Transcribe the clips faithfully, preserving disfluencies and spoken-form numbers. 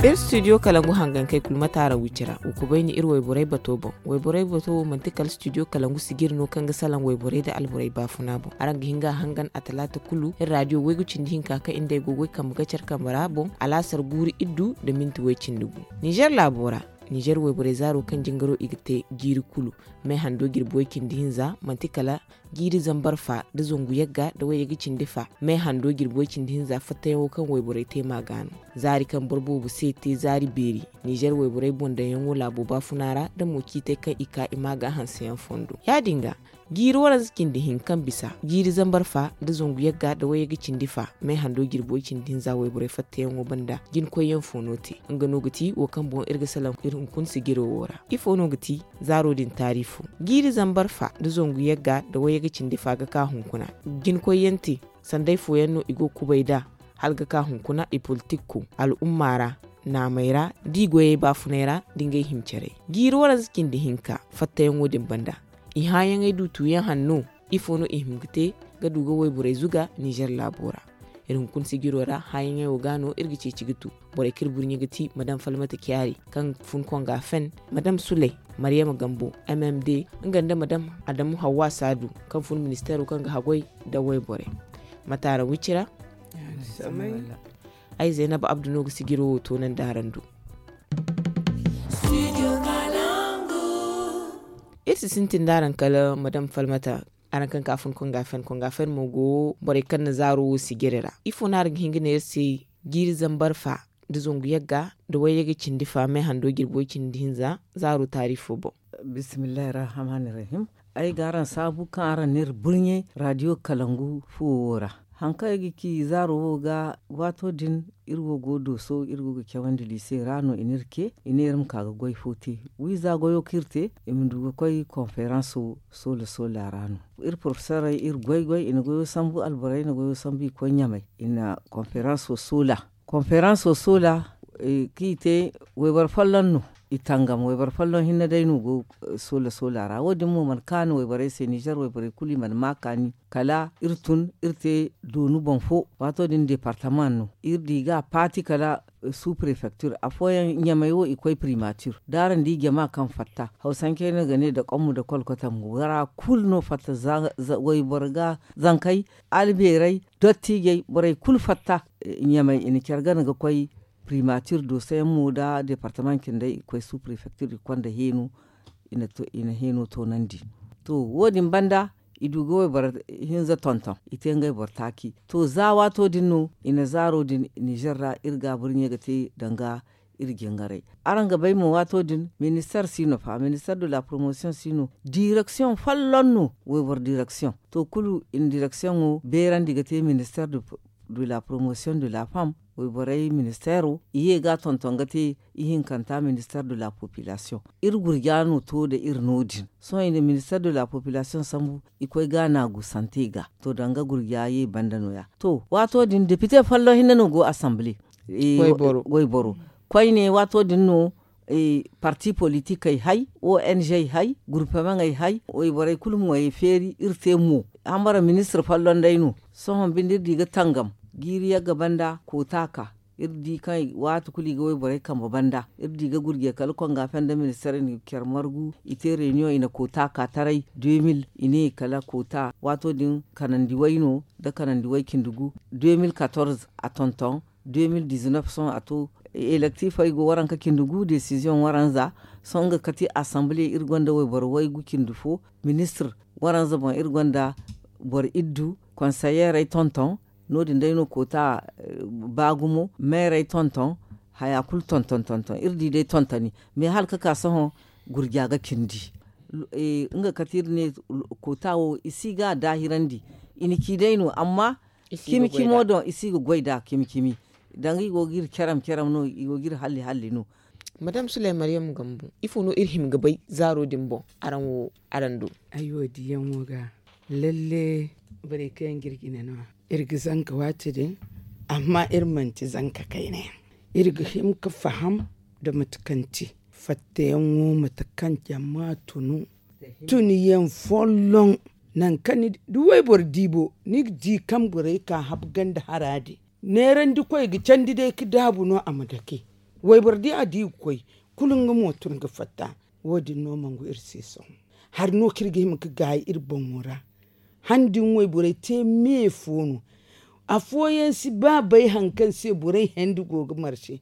Iri studio kalangu hangankey kulu mate araŋ wicira wa kubayni iri wayborey bato boŋ. Wayborey bato wo manti kala studio kalangu sijiri no kaŋ ga salaŋ wayborey nda alborey baafuna boŋ. Araŋ ga hin ga a hangan a talaata kulu iri raadiyo waygu cindi hinka kaŋ iri nd'ey go ga way kambe ga care kambe ra boŋ, alaasar guuru iddu nda minti way cindi gu. Nizer laabo ra, nizer wayborey zaaro kaŋ jingaro i ga te jiiri kulu, me hando jirbi way cindi hinza manti kala jiiri zambar fa nda zangu yagga nda wayyaga cindi fa me hando jirbi way cindi hinza fattayaŋo kaŋ wayborey te ma ga no. Zaari kaŋ boro boobo se te zaari beeri, nizer wayborey boŋ daŋyaŋo laabo baafuna ra nda mo ciitey kaŋ i ka i ma ga hanseyaŋ fondo ya- din ga jiiri waranza cindi hinka kaŋ bisa jiiri zambar fa nda zangu yagga nda wayyaga cindi fa me hando jirbi way cindi hinza wayborey fattayaŋo banda jinkoyyaŋ fo no te. Nga no ga ti wo kaŋ boŋ iri ga salaŋ iri hunkuna sijiro wo ra. Ifo no ga ti zaaro din taariifo? Jiiri zambar fa nda zangu yagga nda wayyaga cindi fa ga ka hunkuna. Jinkoyyaŋ te sanday fooyaŋ no i go ga kubay nd'a hala ga ka hunkuna i politikko al'umma ra, naamey ra, da i goyey baafunay ra, nda ngey hima carey. Jiiri waranza cindi hinka fattayaŋo din banda, i hããyaŋey du tuuyaŋ hanno? Ifo no i hima ga te ga du ga wayborey zuga nizer laabo ra? Iri hunkuna sijiro ra hããyaŋey wo ga no iri ga ceeci ga tu. Borey kaŋ iri burɲe ga ti madam falmata caari kaŋ fun konga fen, madam suley, maryama gambo, mmd, nga nda madam adamu hawwa saadu kaŋ fun ministeero kaŋ ga haggoy nda wayborey. Mate araŋ wicira? Ay zaynab abdu no ga sijiro wo toonandi araŋ do. Iri si sintin da araŋ kala madam falmata, araŋ kaŋ ka fun konga fen konga fen mo go borey kaŋ na zaaro wo sijiri ra. Ifo no araŋ ga hin ga ne iri se? Jiiri zambar fa nda zangu yagga nda wayyaga cindi fa me hando jirbi way cindi hinza zaaro taariifo boŋ. Bismillahi rahmani rahim. Ay ga araŋ saabu kaŋ araŋ na iri burɲe raadiyo kalangu fuwo wo ra. Haŋ kaŋ ay ga ci zaaro wo ga, waato din iri wo go dooso iri go ga cawandi liise ra no i na iri ce i ne iri ma ka ga goy fo te. Wiiza goyo kaŋ iri te i ma du ga koy konferanso soola soola ra no. Iri porofesorey iri goy goy i na goyo sambu alborey na goyo sambu i koy ɲamey i na konferanso soola. Konferanso soola kaŋ i te wayboro folloŋ no. I tangam wayboro folloŋ hinne day no go soola soola ra wo- din mo mana kaanu wayborey se nizer wayborey kulu i mana ma kaani. Kala iri tun iri te doonu boŋ fo. Waato din deepartamaŋ no iri di ga a paati kala suu prefektir afooyaŋ ɲamey wo i koy primatir da araŋ di jama kaŋ fatta hawsancey no ga ne da kommu da kolkotam wara kulu no fatta. Wayboro ga zankey albeerey dottiijey borey kulu fatta. Ɲamey i na care gana ga koy primatir dooso yaŋ mo da deepartamaŋ cindey i koy suu prefektir i konda heeno. I na heeno toonandi. To wo- din banda i du ga wayboro hinza tonton i te ngey boro taaci. To za waato din no i na zaaro din nizer ra iri ga burɲe ga te danga iri jingarey. Araŋ ga bay mo waato din minister si no fa minister de la promotion si no direksiyoŋ folloŋ no wayboro direksiyoŋ. To kulu i na direksiyoŋo beerandi ga te minister de la promotion de la femme. Wayborey ministeero i ye ga a tonton ga te ihinkanta minister de la population. Iri gurja no to nda iri no- din sohõ i na minister de la population sambu i koy ga naagu sante ga to danga gurja ye banda no- ya. To waato din depite folloŋ hinne no go asamble. Wayboro koyne waato din no parti politikey hay ong hay gurpemaŋey hay wayborey kulu mo ye feeri iri te mo. Hambara ministir folloŋ day no. Sohõ binde iri di ga tangam jiiri yagga banda koota ka iri di kaŋ waati kulu i ga wayborey kambe banda iri di ga gurje kala konga fenda ministir i na care margu i te reniyoŋ i na koota ka taray deux mille i ne kala koota waato din kanandi way no da kanandi way cindi gu. Deux mille quatorze a tonton deux mille dix-neuf sohõ a to. Elektifey go waranka cindi gu desiziyoŋ waranza. Sohõ nga kati asamble iri gonda wayboro waygu cindi fo ministir waranza boŋ iri gonda boro iddu konseyeerey tonton. No- din day no koota ba gumo meerey tonton. Haya kulu tonton tonton iri di day tontoni. Mais hala ka ka sohõ gurja ga cindi nga kati iri ne koota wo i si ga daahirandi. I na ci day no amma cimi cimo doŋ i si ga goy nd'a cimi cimi. Danga i go ga iri caram caram no i go ga iri halli halli no. Madam suley maryam gambu ifo no iri hima ga bay zaaro din boŋ? Araŋ wo araŋ do. Ay wo diyaŋo ga lalle borey kaŋ yaŋ ga iri jine no iri ga zanka waati din. Amma iri manti zanka kayna yaŋ iri ga hima ga faham nda mate kaŋ ti fattayaŋo mate kaŋ jama tunu tuniyaŋ folloŋ. Nangu kaŋ ni di wayboro diibo ni ga di kaŋ borey ka habu ganda hara din neerandi koy ga candi day ga daabu no a ma dake. Wayboro di a di ga koy, kulu nga mo tun ga fatta. Wo- din no mangu iri se sohõ. Hari no kaŋ iri ga hima ga gaayi iri boŋo ra. Handi ŋwayborey te me fo no. Afooyaŋ si ba bay hari kaŋ se borey hendi go ga marse.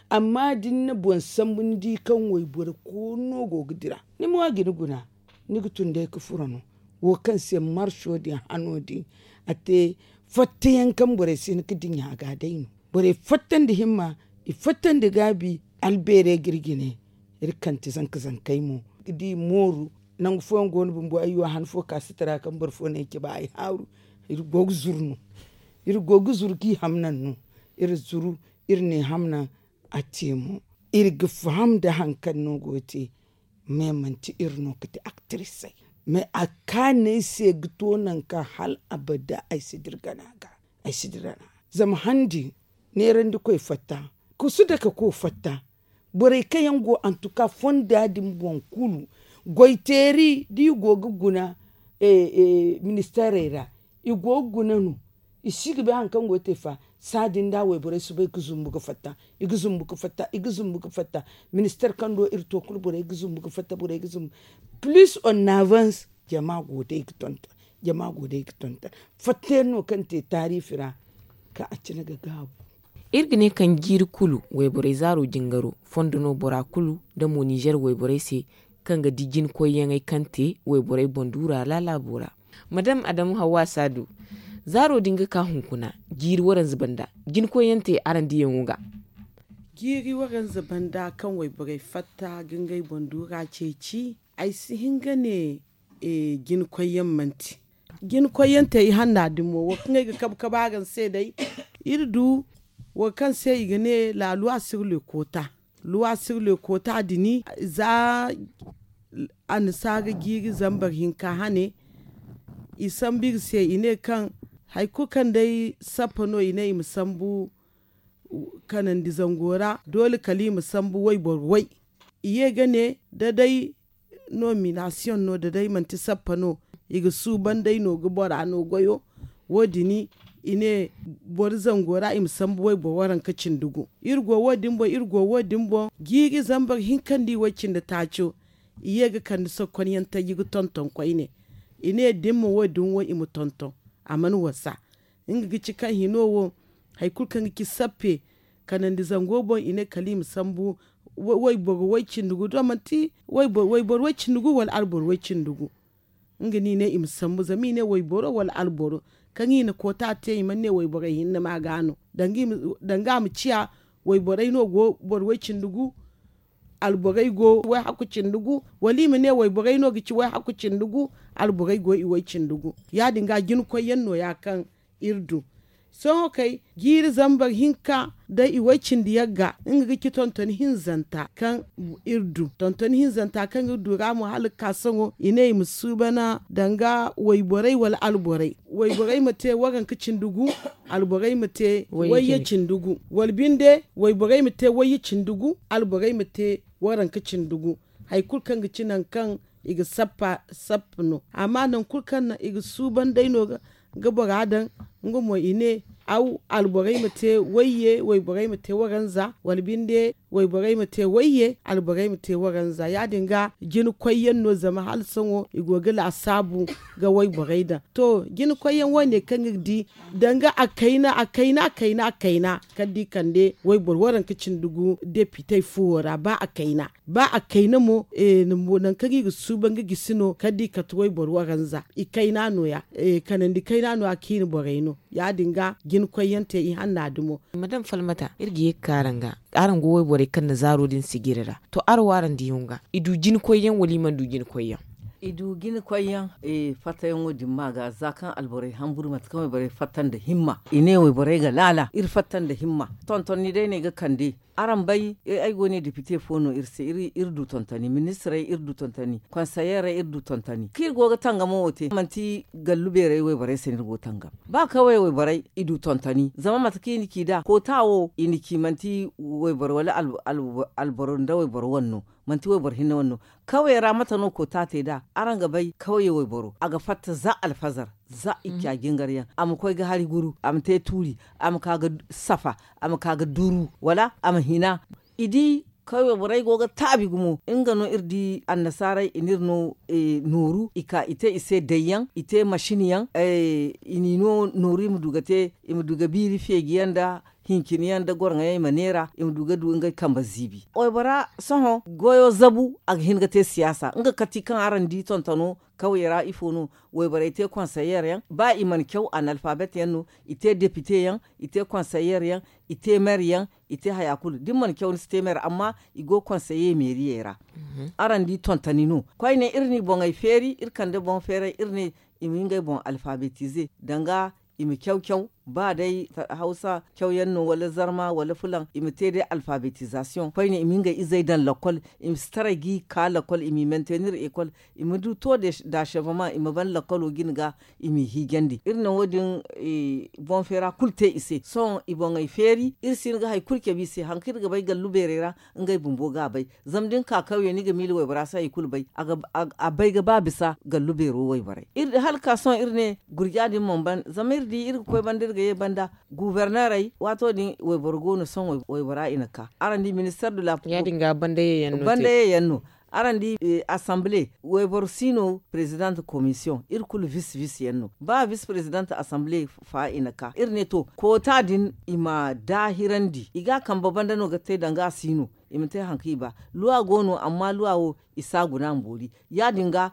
Amma da ni na boŋ sambu ni di kaŋ wayboro koono go ga dira, ni mo a ga ni guna. Ni ga tun day ga furo no. Wo kaŋ se marso din hano din a te fattayaŋ kaŋ borey si hin ga dinya ga day no. Borey fatta nda himma, i fatta nda gaabi. Albeerey ga iri jine. Iri kante zanka zankey mo ga di mooru. Nangu fooyaŋ go no bumbo ay yo han fo ka sitara kaŋ boro fo ne ay cabe ay haaru. Iri go ga zuru no. Iri go ga zuru ga i hamnan no. Iri zuru, iri ne hamnan a te mo. Iri ga faham nda hari kaŋ no go ga te. Mais manti iri no ga te aktirisey. Mais a kaanay se ga to nangu kaŋ hal abada ay si dira gana ga. Ay si dira gana. Zama handi neerandi koy fatta, kusu dake ko fatta. Borey kaŋ yaŋ go antuka fonda din boŋ kulu, goyteeri da i go ga guna ministeerey ra, i go ga guna no. I si ga bay hari kaŋ go ga te fa. Saa din da wayborey soobay ga zumbu ga fatta. I ga zumbu ga fatta. Ministeer kaŋ do iri to kulu borey ga zumbu ga fatta borey ga zumbu. Plus on avance, jama go day ga tonton. Jama go day ga tonton. Fatta yaŋ no kaŋ te taariifi ra. Kaŋ a cine ga gaabu. Iri ga ne kaŋ jiiri kulu wayborey zaaro jingaro fondo no bora kulu nda mo ninzeer wayborey se, kaŋ ga di jinkoyyaŋey kaŋ te wayborey boŋ duura laalaabo ra. Madam adamu hawwa saadu, zaaro din ga ka hunkuna jiiri waranza banda, jinkoyyaŋ te araŋ diyaŋo ga. Jiiri waranza banda kaŋ wayborey fatta ga ngey boŋ duura ceeci. Ay si hin ga ne jinkoyyaŋ manti. Jinkoyyaŋ te i hanna din mo wo kaŋ ay ga kabe kabe araŋ se day. Iri du wo kaŋ se i ga ne laaluwa sirle koota. Luwa sirle koota dini za annasaara jiiri zambar hinka hane. I sambu iri se i ne kaŋ hari kulu kaŋ day sappa no i ne i ma sambu kanandi zango ra doole kala i ma sambu wayboro way. I ye ga ne da day nominasiyoŋ no da day manti sappa no i ga suuban day no ga bora no goyo. Wo- din i ne boro zango ra i ma sambu wayboro waranka cindi gu. Iri go wo- din boŋ iri go wo- din boŋ jiiri zambar hinka nda i way cindi taaco. I ye ga kande sokkonyaŋ taji ga tonton koyne. I ne da ni ma wo- din wo i ma tonton. A mana wasa. Nga ga ci kaŋ hino wo hari kulu kaŋ ga ci sappe kanandi zango boŋ i ne kala i ma sambu wayboro way cindi gu da manti wayboro way cindi gu wala alboro way cindi gu. Nga no i ne i ma sambu zama i ne wayboro wala alboro kaŋ i na koota te i mana ne wayborey hinne ma ga no. Danga a ma ciya wayborey no go boro way cindi gu alborey go way hakku cindi gu. Wala i ma ne wayborey no ga ci way hakku cindi gu alborey go i way cindi gu. Ya- din ga jinkoyyaŋ no- ya kaŋ iri du. Sohõ kay jiiri zambar hinka day i way cindi yagga nga ga ci tontoni hinzanta kaŋ iri du tontoni hinzanta kaŋ iri du ra mo hala ga ka sohõ i ne i ma suubana danga wayborey wala alborey. Wayborey ma te waranka cindi gu. Alborey ma te wayye cindi gu wala binde wayborey ma te wayye cindi gu. Alborey ma te waranka cindi gu. Hari kulu kaŋ ga ci nangu kaŋ i ga sappa sappa no amma nangu kulu kaŋ i ga suuban day no ga bora daŋ. Nga mo i ne aw alborey ma te wayye wayborey ma te waranza wala binde wayborey ma te wayye alborey ma te waranza ya- din ga jinkoyyaŋ no zama hala sohõ i go ga laasaabu ga wayborey daŋ. To jinkoyyaŋ wo- ne kaŋ iri di danga a kayna a kayna a kayna a kayna kala da i kande wayboro waranka cindi gu depitey fuwo ra ba a kayna ba a kayna mo nangu kaŋ i ga suuban ga gisi no kala da i kate wayboro waranza i kayna no- ya. Kanandi kayna no- ya kaŋ i na borey no ya- din ga jinkoyyaŋ te i hanna dumo. Madam falmata iri ga ye ga ka araŋ ga araŋ go wayborey kaŋ na zaaro din sijiri ra to araŋ wo araŋ diyaŋo ga i du jinkoyyaŋ wala i mana du jinkoyyaŋ? I du jinkoyyaŋ. Fattayaŋo din ma ga za kaŋ alborey hamburu mate kaŋ wayborey fatta nda himma i ne wayborey ga laala iri fatta nda himma. Tontonni day no ay ga kande. Araŋ bay ay go ne depite fo no iri se iri du tontoni ministirey iri du tontoni konseyeerey iri du tontoni kaŋ iri go ga tangamo wo te manti gallu beerey wayborey se no iri go ga tangam. Ba kawey wayborey i du tontoni zama mate kaŋ i na ci nd'a koota wo i na ci manti wayboro wala alboro nda wayboro wane no. Manti wayboro hinne wane no. Kawey ra mate no koota te nd'a araŋ ga bay kawey wayboro a ga fatta za alfazar za i ca jingar yaŋ a ma koy ga hari guru a ma te tuuri a ma ka ga safa a ma ka ga duru wala a ma hina. I di kawye borey go ga taabi gumo. Nga no iri di annasaaray i n'iri no nooru i ka i te i se dayyaŋ, i te masin yaŋ, i n'i no nooru i ma du ga te, i ma du ga biiri feeji yaŋ nda hincin yaŋ nda goroŋo yaŋ i ma neera i ma du ga du ngey kambe ziibi. Waybora sohõ goyo zabu a ga hin ga te siyaasa nga kati kaŋ araŋ di tontono kawye ra ifo no? Wayborey te konseyer yaŋ ba i mana caw analfabet yaŋ no, i te depite yaŋ, i te konseyer yaŋ, i te mer yaŋ, i te haya kulu da ni mana caw ni si te mer amma i go konseye meeriyey ra. Araŋ di tontoni no koyne iri n'i boŋey feeri iri kande boŋ feeray iri ne i ma ngey boŋ alfabetize danga i ma caw caw ba day hawsa caw yaŋ no wala zarma wala fulaŋ i ma te day alfabetizasiyoŋ koyne i ma ngey izey daŋ lakkol, i ma si taray ga i ka lakkol i m'i mentenir ekol, i ma du to da seveman i ma ban lakkolo jine ga i m'i hiijandi iri na wo- din boŋ feera kulu te i se sohõ i boŋey feeri iri si hin ga hari kulu cabe i se hari kaŋ iri ga bay gallu beerey ra. Ngey bumbo ga a bay. Zama da ni ka kawye ni ga miila waybora se hari kulu bay. A bay ga ba bisa gallu beero wayborey hala ka sohõ iri ne gurja din mana ban zama iri di iri ga koy banda iri ga ye banda guubarneerey waato din wayboro go no sohõ waybora i na ka araŋ di minister de la police banda ye yaŋ no. Araŋ di asamble wayboro si no president komisiyoŋ iri kulu vis vis yaŋ no ba vis president asamble fa i na ka iri ne to koota din i ma daahirandi i ga a kambe banda no ga te danga a si no i ma te hari kaŋ i ba luwa go no amma luwa wo i si a guna a ma boori ya- din ga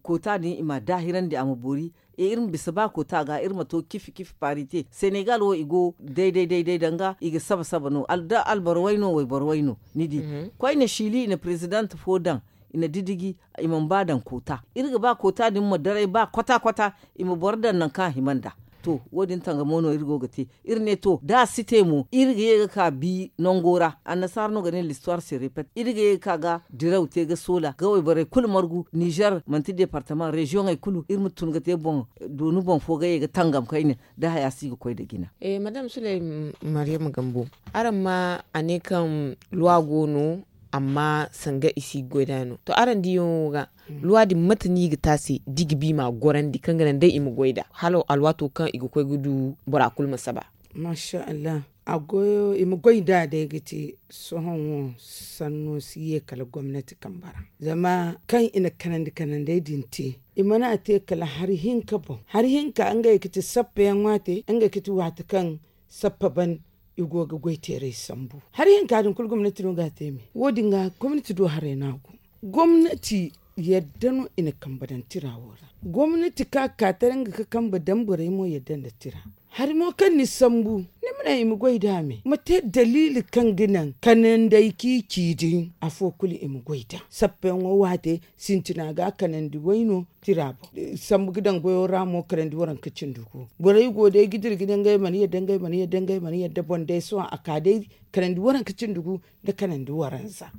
koota din i ma a daahirandi a ma boori iri ma bisa ba koota ga iri ma to cifi cifi paari te senegal wo i go day day day day danga i ga saba saba no da alboro way no wayboro way no ni di. Koyne siili i na president fo daŋ i na didiji i mana ba daŋ koota iri ga ba koota din ma daray ba kwata kwata i ma boro daŋ nangu kaŋ a hima nd'a. To wo- din tangamo no iri go ga te iri ne to da a si te mo iri ga ye ga ka bi nango ra annasaara no ga ne listuwar se repet iri ga ye ga ka ga diraw te ga soola ga wayborey kulu margu nizer manti departama reziyoŋey kulu iri ma tun ga te boŋ dooni boŋ fo ga ye ga tangam kayne da haya si ga koy nda jina. Madam suley, maryama gambo, araŋ ma a ne kaŋ luwa go no amma sanga i si ga goy nd'a no to araŋ diyaŋo ga luwa din mate no i ga te a se da i ga ba i m'a gorandi kaŋ ga naŋ day i ma goy nd'a hala alwaato kaŋ i ga koy ga du bora kulu ma saba? Maasa allah. A goyo i ma goy nd'a day ga te sohõ wo sanno si ye kala gomnati kambe ra zama kaŋ i na kanandi kanandey din te i mana te kala hari hinka boŋ hari hinka ngey ga ti sappa yaŋ waate ngey ga ti waate kaŋ sappa ban i go ga goy teeray sambu. Hari hinka din kulu gomnati no ga a te me wo- din ga gomnati do haray no a go. Gomnati yadda no i na kambe daŋ tira wo ra. Gomnati ka ka taray nga ga kambe daŋ borey mo yadda nda tira. Hari mo kaŋ ni sambu ni ma ne i ma goy nd'a me ma te daliili kaŋ ga naŋ kanandey kaŋ i ci din afo kulu i ma goy nd'a sappa yaŋo waate sintina ga kanandi way no tira boŋ. Sambu ga daŋ goyo ra mo kanandi waranka cindi gu borey go day ga dira ga ne ngey mana yadda ngey mana yadda ngey mana yadda boŋ day sohõ a ka day kanandi waranka cindi gu nda kanandi waranza.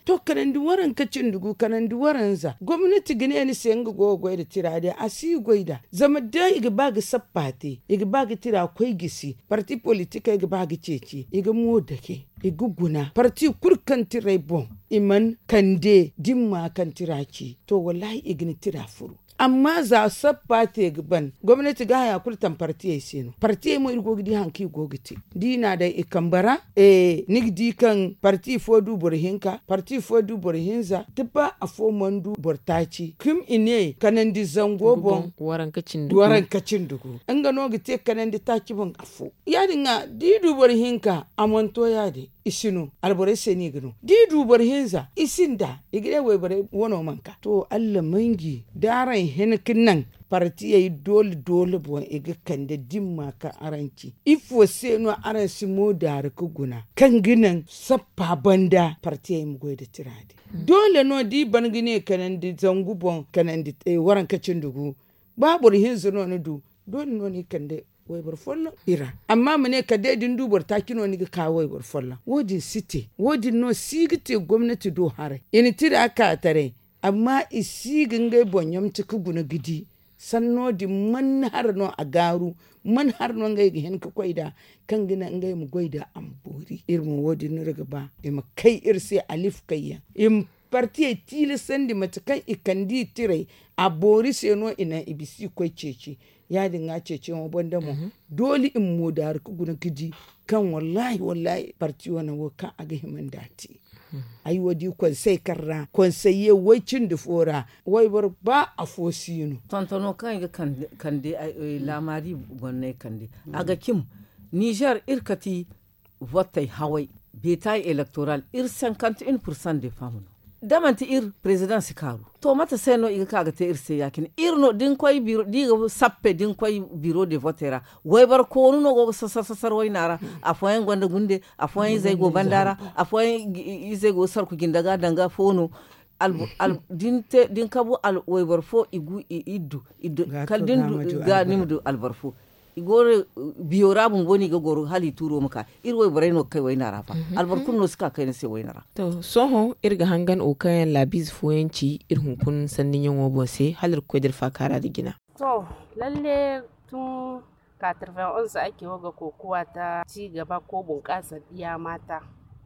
To kanandi waranka cindi gu kanandi waranza gomnati ga ne ni se nga go ga goy nda tira day a si goy nd'a zama da i ga ba ga sappa te i ga ba ga tira koy gisi parti politikey ga ba ga ceeci i ga mo dake i ga guna parti kulu kaŋ tiray boŋ i mana kande dimma kaŋ tira ci to wallahi i ga ni tira furu. Amma za sappa te ga ban gomnati ga haya kulu taŋ partiyey se no partiyey mo iri go ga di hari kaŋ i go ga te da i n'a daŋ i kambe ra. Ni ga di kaŋ parti fo du boro hinka parti fo du boro hinza da ba afo mana du boro taaci kuma i ne kanandi zango boŋ waranka cindi gu nga no ga te kanandi taaci boŋ afo ya- din ga da i du boro hinka a mana to ya- din i si no alborey se no i ga no da i du boro hinza i sinda i ga ne wayborey wano mana ka to allah manji da araŋ hin ga naŋ partiyey doole doole boŋ i ga kande dimma kaŋ araŋ ci ifo se no araŋ si mo daari ga guna kaŋ ga naŋ sappa banda partiyey ma goy nda tira din doole no da i ban ga ne kanandi zangu boŋ kanandi waranka cindi gu ba boro hinza no ni du doole no ni kande wayboro folloŋ i ra. Amma ma ne kala day da ni du boro taaci no ni ga ka wayboro folloŋ wo- din si te wo- din no si ga te gomnati do haray i na tira ka taray amma i si ga ngey boŋ ɲamti ga guna ga di sanno din man hara no a gaaru man hara no ngey ga hin ga koy nd'a kaŋ ga naŋ ngey ma goy nd'a a ma boori iri mo wo- din no iri ga ba i ma kay iri se alif kayyaŋ i ma Partiyey tiilasandi mate kaŋ i kande i tirey, a boori se no i naŋ i bisa i koy ceeci. Ya- din ga ceeciyaŋo banda mo, doole i ma moodaari ga guna ga di kaŋ wallaahi wallaahi parti wane wo kaŋ a ga hima nda a te. Ay wo di konsey kaŋ ra konseye way cindi fo ra, wayboro ba afo si no. Tontono kaŋ i ga kande laamaari gonney kande, a ga cim. Nizer iri kati votey haway, beetaayi elektoral iri sankante in pursan de fam no. Da manti iri prezidaŋ si kaaru, to mate se no i ga ka ga te iri se ya- cine? Iri no da ni koy biro da i ga sappe da ni koy biro de votey ra, wayboro koonu no go ga sasar sasar wayna ra. Afooyaŋ gonda gunde, afooyaŋ izey go banda ra, afooyaŋ izey go ga sarku jinda ga danga fo no. Da ni kabu wayboro fo i gu i iddu kala da ni ga ni ma du alboro fo. I go no biyo ra bumbo no i ga goro hala i tuuro ma ka. Iri wayborey no ga kay wayna ra fa. Alboro kulu no si ka kay ni se wayna ra. To sohõ iri ga hangan wo kaŋ yaŋ laabiize fooyaŋ ci iri hunkuna sanniyaŋo boŋ se hala iri ga koy da iri faakaara nda jina. To lalle tun katirven onz ake wo ga kokowa ta ci gaba ko bunkaasa diya maata.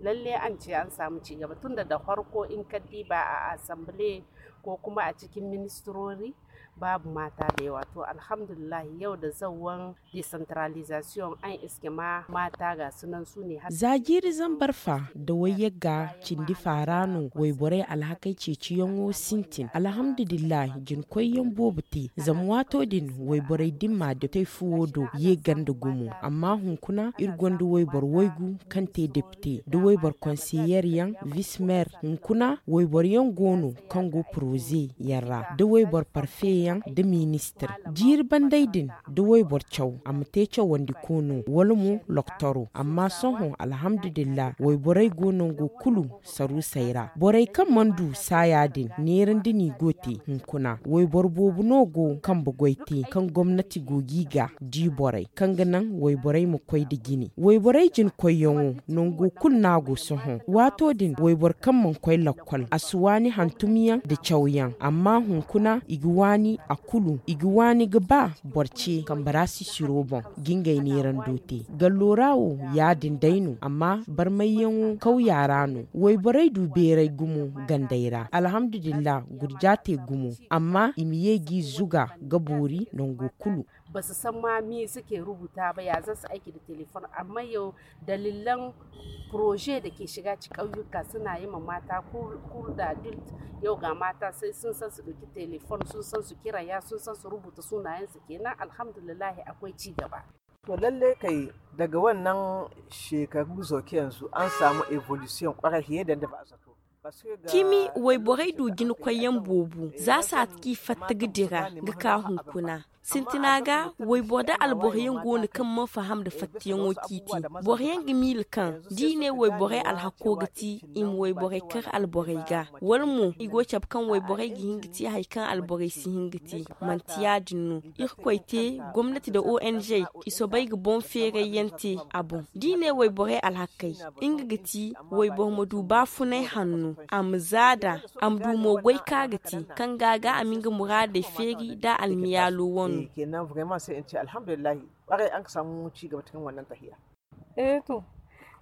Lalle an ce an saamu ci gaba tun da da farko in ka diiba a asambile ko kuma a cikin ministirori, baabu maata da yawa to alhamdulillahi yau da zawwan desantaralizasiyoŋ an iske ma maata ga sunan su ne. Za jiiri zambar fa da wayyagga cindi faara no wayborey alhakey ceeciyaŋo sintin alhamdulillahi jinkoyyaŋ boobo te zama waato din wayborey dimma da tey fuwo do ye ganda gumo. Amma hunkuna iri gonda wayboro waygu kaŋ te depite da wayboro konseyer yaŋ vismer hunkuna wayboro yaŋ go no kaŋ go poroze yaŋ ra da wayboro parfe yaŋ da ministir jiiri banday din da wayboro caw a ma te cawandi koono wala mo loktoro amma sohõ alhamdulillah wayborey go nango kulu saruusey ra borey kaŋ mana du saaya din neerandi no i go te hunkuna wayboro boobo no go kambe goy te kaŋ gomnati go ga i ga di borey kaŋ ga naŋ wayborey ma koy nda jine wayborey jinkoyyaŋo nango kulu no a go sohõ waato din wayboro kaŋ mana koy lakkol a si waani hantumyaŋ nda cawyaŋ amma hunkuna i ga waani a kulu i ga waani ga ba boro ce kambe ra sisiro boŋ ga ngey neerando te gallo ra wo ya- din day no amma barmayyaŋo kawya ra no wayborey du beeray gumo gandey ra alhamdulillah gurja te gumo amma i ma ye g'i zuga ga boori nango kulu. Ba si samma miize ke rubuta ba ya za si aiki da telefon amma yau dalilan proje da ke shiga ci kauyuka suna yi ma mata kur da adult yau ga mata sai sun san su ɗauki telefon sun san su kiraya sun san su rubuta sunayensu kenan alhamdulillahi akwai ci gaba. To lalle kai daga wannan shekaru zoke yanzu an samu evolution kwarai fiye da ba a zato. Cimi wayborey du jina koyyaŋ boobo za saati kaŋ i fatta ga dira ga ka hunkuna sintina ga wayboro da alboro yaŋ go no kaŋ mana faham nda fattayaŋo kaŋ i te boro yaŋ ga miila kaŋ da i ne wayborey alhako ga ti i ma wayborey kar alborey ga wala mo i go ga cabe kaŋ wayborey ga hin ga te hari kaŋ alborey si hin ga te manti ya- din no irkoy te gomnati nda ong i soobay ga boŋ feeray yaŋ te a boŋ da i ne wayborey alhakey nga ga ti wayboro ma du baafunay hanno a ma za nd'a a ma du mo goy kaŋ a ga te kaŋ ga a ga a ma nga muraadey feeri nda almiyaalo wano. Eh to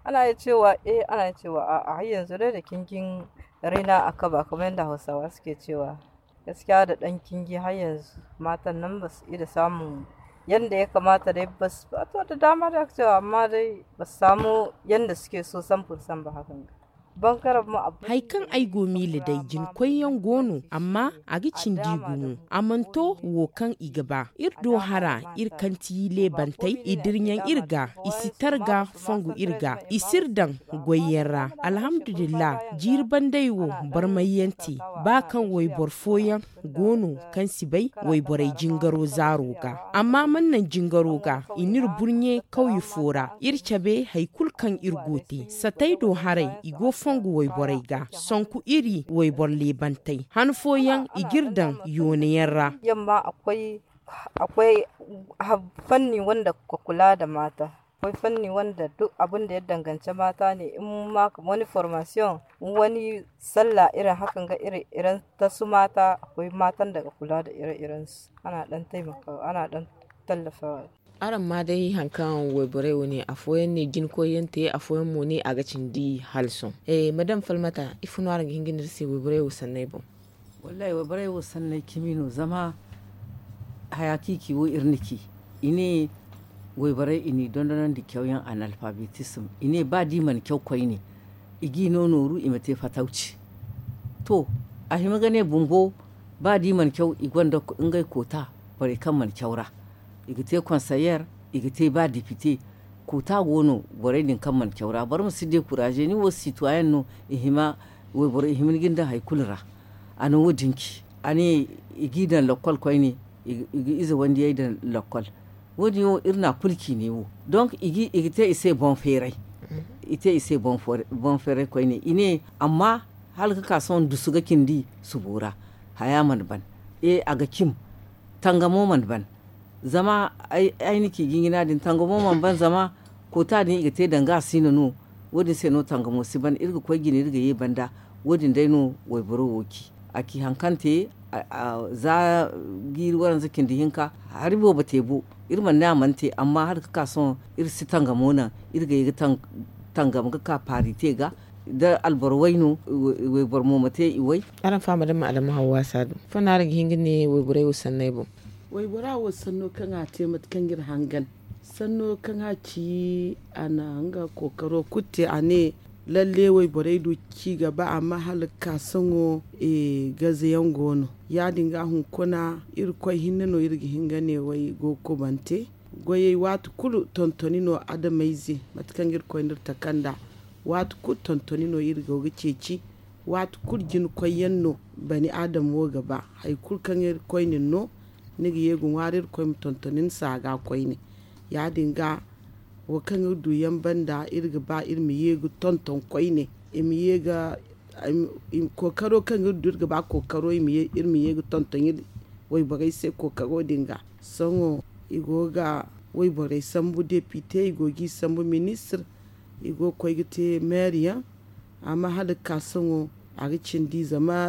ana iya cewa eh ana iya cewa a'a har yanzu dai da kingin raina a kaba kamar yadda hausawa suke cewa gaskiya da ɗan kingi har yanzu matan nan ba su ida samun yanda ya kamata dai ba su to da dama da cewa amma dai ba su samu yanda suke so san fursan ba hakan ga bangaren mu abu. Hari kaŋ ay go miila day jinkoyyaŋ go no amma a ga cindi gumo a mana to wo kaŋ i ga ba iri do hara iri kaŋ ti leebantey i dirɲaŋ iri ga i si targa fongu iri ga i si iri daŋ goyyaŋ ra alhamdulillah jiiri bandey wo barmayyaŋ te ba kaŋ wayboro fooyaŋ go no kaŋ si bay wayborey jingaro zaaro ga amma mana naŋ jingaro ga i n'iri burɲe kawye fo ra iri cabe hari kulu kaŋ iri go te satey do haray i go fongu wayborey ga sonku iri wayboro leebantey han fooyaŋ i g'iri daŋ yoonayaŋ ra. Yamma akwai akwai fanni wanda ka kula da mata akwai fanni wanda duk abin da ya danganci mata ne in ma kamar wani formation in wani sallah irin hakan ga ire-iren ta su mata akwai matan da ka kula da ire-iren su ana dan taimakawa ana dan tallafawa. Araŋ ma day hari kaŋ wayborey wo ne, afooyaŋ ne jina koyyaŋ te, afooyaŋ mo ne a ga cindi hala sohõ. Madam falmata, ifo no araŋ ga hin ga ne iri se wayborey wo sanney boŋ? Wallaahi wayborey wo sanney cimi no zama haya kaŋ i ci wo iri na ci. I ne wayborey i n'i dondonandi cawyaŋ analfabetism, i ne ba da i mana caw koyne, i g'i no nooru i ma te fatawci. To, a hima ga ne bumbo, ba da i mana caw i gonda ngey koota borey kaŋ mana caw ra. I ga te konseyer, i ga te ba depite. Koota go no borey din kaŋ mana caw ra boro ma si dekuraaze ni wo sitwayen no. I hima wayboro i hima ni ga ni daŋ hari kulu ra. A na wo- din ci, a ne i g'i daŋ lakkol koyne, i ga ize wandiyey daŋ lakkol. Wo- din wo iri na a kulu ci ne wo. Donk i ga te i se boŋ feeray. I te i se boŋ feeray koyne i ne, amma hala ga ka sohõ dusu ga cindi subo ra. Haya mana ban. E a ga cim. Tangamo mana ban. Zama ay na ci jinjina din tangamo mana ban zama koota din i ga te danga a si no no. Wo- din se no tangamo si ban iri ga koy jine iri ga ye banda. Wo- din day no wayboro wo ci. A ci hari kaŋ te za jiiri waranza cindi hinka hari boobo te bo. Iri mana ne a mana te amma hala ga ka sohõ iri si tangamo naŋ. Iri ga ye ga tangam ga ka paari te ga da alboro way no. Wayboro mo ma te i way. Araŋ faama da ma adama hawwa saadu ifo no araŋ ga hin ga ne wayborey wo sanney boŋ? Waybora wo sanno kaŋ a te mate kaŋ iri hangan sanno kaŋ a ci a na nga kookaro kulu te a ne lalle wayborey du ci ga ba amma hala ga ka sohõ. Gazayaŋ go no ya- din ga hunkuna irkoy hinne no iri ga hin ga ne way go ga kubante. Goyey waati kulu tontoni no adamayze mate kaŋ irkoy na iri taka nd'a. Waati kulu tontoni no iri go ga ceeci. Waati kulu jina koyyaŋ no bani adam wo ga ba hari kulu kaŋ iri koyne no. Ni ga ye ga ŋwaari iri koy ma tontoni ni se a ga koyne. Ya- din ga wo kaŋ iri du yaŋ banda iri ga ba iri ma ye ga tonton koyne. I ma ye ga kookaro kaŋ iri du iri ga ba kookaro iri ma ye ga tonton iri wayborey se kookaro din ga. Sohõ i go ga wayborey sambu depite i go g'i sambu ministir. I go ga koy ga te meeri yaŋ. Amma hala ga ka sohõ a ga cindi zama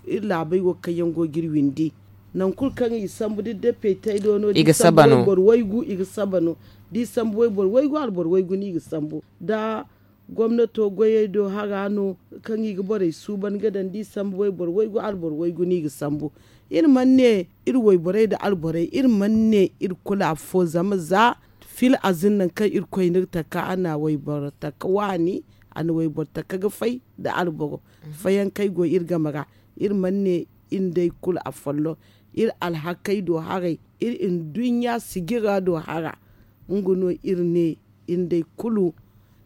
iri laabey wo kaŋ yaŋ go ga iri windi. Nangu kulu kaŋ i sambu da iri depite do no da i sambu wayboro waygu i ga saba no. Da i sambu wayboro waygu alboro waygu no i ga sambu da gomnato goyey do hara no kaŋ i ga borey suuban ga daŋ da i sambu wayboro waygu alboro waygu no i ga sambu. Iri mana ne iri wayborey nda alborey iri mana ne iri kulu affo zama za fil azin nangu kaŋ irkoy na iri taka a na wayboro taka waani. A na wayboro taka ga fay nda alboro fayankey go iri game ra. Iri mana ne iri nd'ey kulu afolloŋ iri alhakey do haray iri nduɲɲa sijira do hara. Nga no iri ne iri nd'ey kulu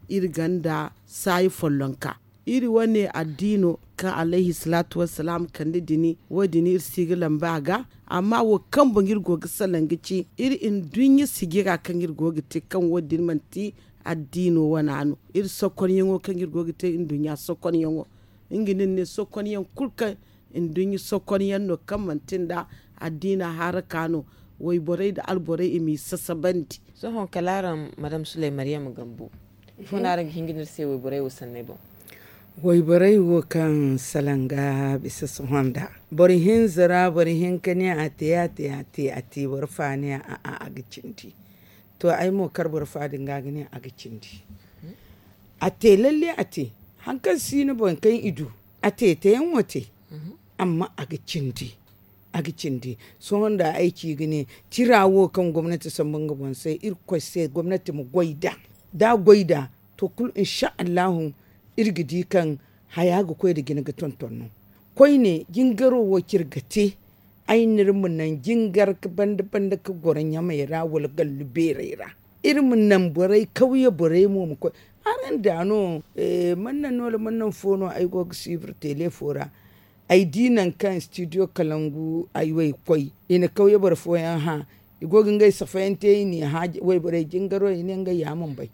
iri gonda saayi follonka. Iri wane addiino kaŋ alayhi salaatu wassalaam kande dini wo- din iri si ga lamba a ga. Amma wo kaŋ boŋ iri go ga salaŋ ga ci iri nduɲɲa sijira kaŋ iri go ga te kaŋ wo- din manti addiino wana no. Iri sokonyaŋo kaŋ iri go ga te nduɲɲa sokonyaŋo nga no iri ne sokonyaŋ kulu kaŋ nduɲɲa sokonyaŋ no kaŋ manti nda addiina haraka no. Wayborey nda alborey i m'i sasabandi. Sohõ kala araŋ madam suley maryam gambo ifo no araŋ ga hin ga ne iri se wayborey wo sanney boŋ? Wayborey wo kaŋ salaŋ ga bisa sohõ nda boro hinza ra boro hinka ne a te a te a te a te boro fa ne a'a a ga cindi. To ay mo kar boro fa din ga ga ne a ga cindi. A te lalle a te hari kaŋ si no boŋ kaŋ i du a te teyaŋo te. Amma a ga cindi. A ga cindi. Sohõ nda ay ci ga ne tira wo kaŋ gomnati sambu nga boŋ se irkoy se gomnati ma goy nd'a. Da a goy nd'a to kulu insa allahu iri ga di kaŋ haya ga koy nda jina ga tonton no. Koyne jingaro wo kaŋ iri ga te ay n'iri ma naŋ jingar ga banda banda ga goro ɲamey ra wala gallu beerey ra. Iri ma naŋ borey kawye borey mo ma koy. Araŋ da no mana naŋ no wala mana naŋ fo no ay go ga suivre tele fo ra. Ay di nangu kaŋ studio kalangu ay wo ay ga koy i na kawye boro fooyaŋ hã. I go ga ngey safayaŋ te i n'i hã wayborey jingaro i ne ngey ya mana bay.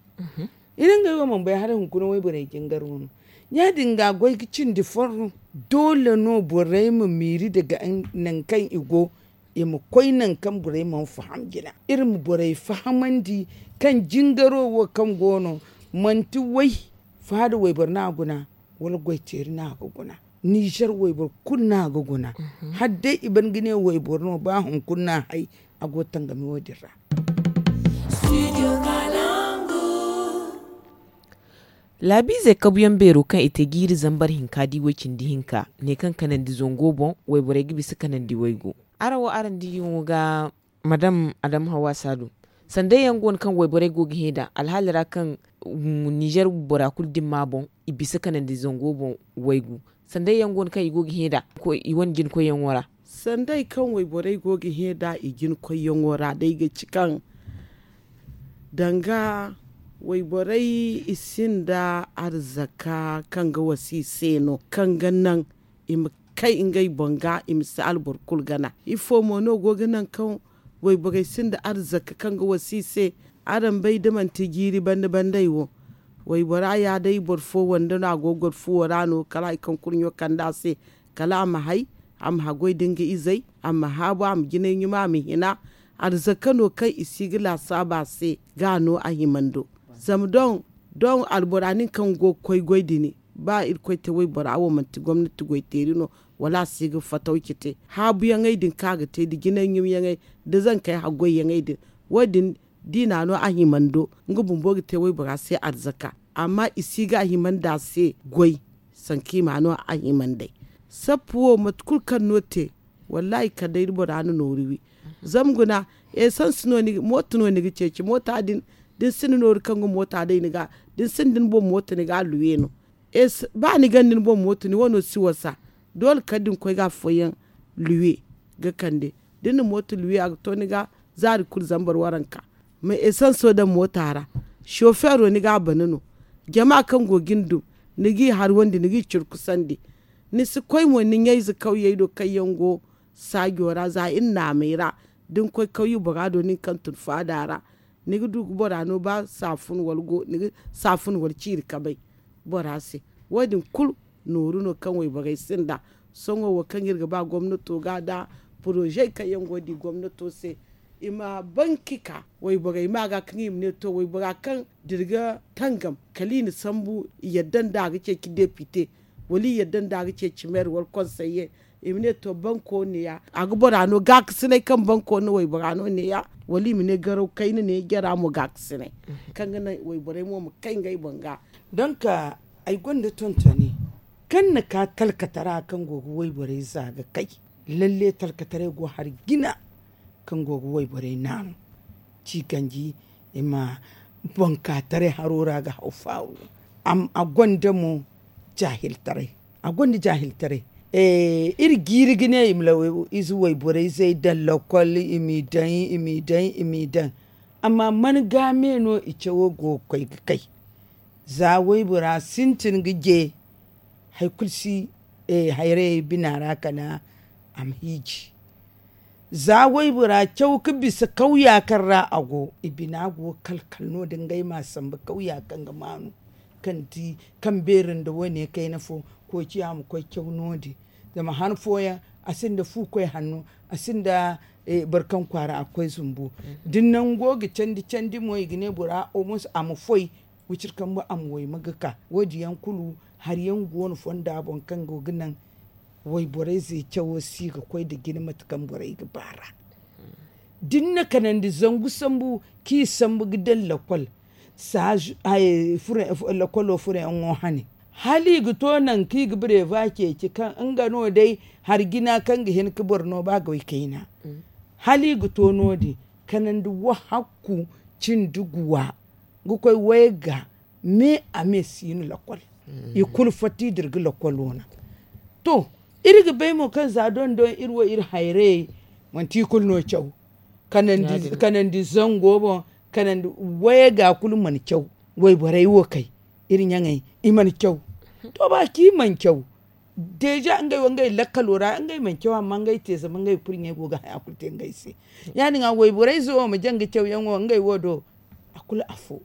I ne ngey wo mana bay hala hunkuna wayborey jingaro no. Ya- din ga goy ga cindi forro. Doole no borey ma miiri daga nangu kaŋ i go i ma koy nangu kaŋ borey mana faham jina. Iri ma borey fahamandi kaŋ jingaro wo kaŋ go no manti way faada wayboro no a guna wala goyteeri no a ga guna. Nizer wayboro kulu no a ga guna. Hala day i ban ga ne wayboro no ba hunkuna no a hay a go ga tangami wo- din ra. Laabiizey kabuyaŋ beero kaŋ i te jiiri zambar hinka di way-cindi hinka ne kaŋ kanandi zango boŋ, wayborey ga bisa kanandi waygu. Araŋ wo araŋ diyaŋo ga madam adamu hawa saadu, sanday yaŋ go no kaŋ wayborey go ga hẽ nd'a alhaali ra kaŋ ninzeer bora kulu dimma boŋ, i bisa kanandi zango boŋ waygu. Sanday yaŋ go no kaŋ i go ga hẽ nd'a i wane jinkoyyaŋo ra. Sanday kaŋ wayborey go ga hẽ nd'a i jinkoyyaŋo ra day ga ci kaŋ danga wayborey i sinda arzaka kaŋ ga wasa i se no kaŋ ga naŋ i ma kay ngey boŋ ga i ma si alboro kulu gana. Ifo mo no go ga naŋ kaŋ wayborey sinda arzaka kaŋ ga wasa i se? Araŋ bay da manti jiiri banda bandey wo, waybora ya day boro fo wande no a go ga goro fuwo ra no kala hari kaŋ kurɲo kande a se, kala a ma hay, a ma haggoy da nga izey, a ma haabu, a ma jinay ɲuma, a ma hina. Arzaka no kaŋ i si ga laasaabu a se ga no a himando. Zama doŋ doŋ albora nin kaŋ go ga koy goy din, ba irkoy te waybora wo manti gomnati goyteeri no, wala a si ga fataw cite. Haabuyaŋey din kaŋ a ga te nda jinay ɲumyaŋey, nda zankey haggoyyaŋey din, wo- din diina no a himando. Nga bumbo ga te waybora se arzaka, amma i si ga a himandi a se goy. Sanka i ma no a himandey. Sappu wo mate kulu kaŋ no te, wallaahi kala day da bora na nooru wi. Zama guna, esans no ni ga mooto no ni ga ceeci moota din. Da ni sinda nooru kaŋ ga moota day ni ga, da ni sinda ni boŋ mooto ni ga a luwe no. Ba ni ganda ni boŋ mooto ni wano si wasa. Doole kala da ni koy ga afooyaŋ luwe ga kande. Da ni na mooto luwe a ga to ni ga zaari kulu zambar waranka. Ma esanso daŋ moota ra, sofeero ni ga a bana no. Jama kaŋ go ga ni dum, ni g'i harwandi ni g'i curkusandi. Ni si koy mo ni ɲayze kawyey do kaŋ yaŋ go saajo ra za iri naamey ra. Da ni koy kawye bora do nin kaŋ tun faada ra, ni ga du ga bora no ba saafun wala ciiri kabay bora se. Wo- din kulu nooru no kaŋ wayborey sinda. Sohõ wo kaŋ iri ga ba gomnato ga nda porozey kaŋ yaŋ go ga di gomnato se, i ma banki ka wayborey ma ga kaŋ i ma ne to waybora kaŋ da iri ga tangam kala i na sambu i yadda nda a ga ceeci depite, wala i yadda nda a ga ceeci meer wala konseye. I ma ne to banko ne- ya a ga bora no gaakasinay kaŋ banko na waybora no ne- ya, wala i ma ne garaw kayna ne jara mo gaakasinay, kaŋ ga naŋ wayborey mo ma kay ngey boŋ ga. Donk ay gonda tontoni kaŋ na ka talkatara kaŋ go ga wayborey za ga kay. Lalle talkataray go hari jina kaŋ go ga wayborey naanu ci ganji i ma boŋ ka taray haro ra ga haw faaru. A gonda mo jaahiltaray. A gonda jaahiltaray. Iri jiiri ga ne i ma law ize wayborayzey daŋ lakkol i m'i daŋ i m'i daŋ i m'i daŋ. Amma man ga me no i cawo go ga koy ga kay? Za waybora sintin ga je hari kulu si hayrayey bina ra kala a ma hiiji. Za waybora caw ga bisa kawya kaŋ ra a go i bina go ga kala kala no- din ngey m'a sambu kawya kaŋ ga maanu kaŋ beeri nda wane kayna fo. Koociya ma koy caw no- din zama han fooyaŋ a sinda fu koy hanno a sinda boro kaŋ kwaara a ga koy zumbu. Da ni nango ga candi candi mo i ga ne bora omus a ma foy wiciri kambe a ma wayma ga ka wo- din yaŋ kulu hari yaŋ go no fonda boŋ kaŋ go ga naŋ wayborayze cawo si ga koy nda jine mate kaŋ borey ga ba ra. Da ni na kanandi zangu sambu kaŋ i sambu ga daŋ lakkol lakkolo furo yaŋo hane hala i ga to nangu kaŋ i ga bireba ceeci kaŋ nga no day hari jina kaŋ ga hin ga boro no ba goy kayna. Hala i ga to no- din kanandi wahakku cindi guwa ga koy wayga me a me si no lakkol. I kulu fatta i dira ga lakkol wana. To iri ga bay mo kaŋ za don don iri wo iri hayrayey manti i kulu no caw. Kanandi zango boŋ kanandi wayga kulu mana caw. Wayborey wo kay iri ɲaŋey i mana caw. To ba kaŋ i mana caw deja ngey wo ngey lakkalo ra ngey mana caw amma ngey te zama ngey kurɲey go ga haya kulu te ngey se. Ya- din a wayborayze wo ma jaŋ ga cawyaŋo ngey wo do a kulu afo.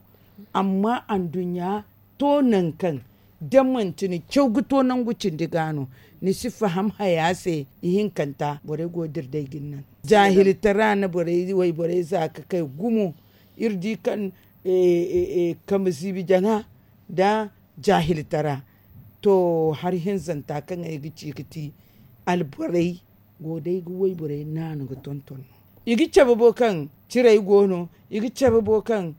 Amma anduɲɲa to nangu kaŋ da manti ni caw ga to nangu cindi ga no ni si faham haya se ihinkanta borey go ga dira day ga ni naŋ. Jaahiltara na borey wayborey za ga kay gumo. Iri di kaŋ kambe ziibi jaŋa nda jaahiltara. To hari hinzanta kaŋ ay ga ci ga ti alborey go day ga wayborey naanu ga tonton no. I ga cabe bo kaŋ ciray go no, i ga cabe bo kaŋ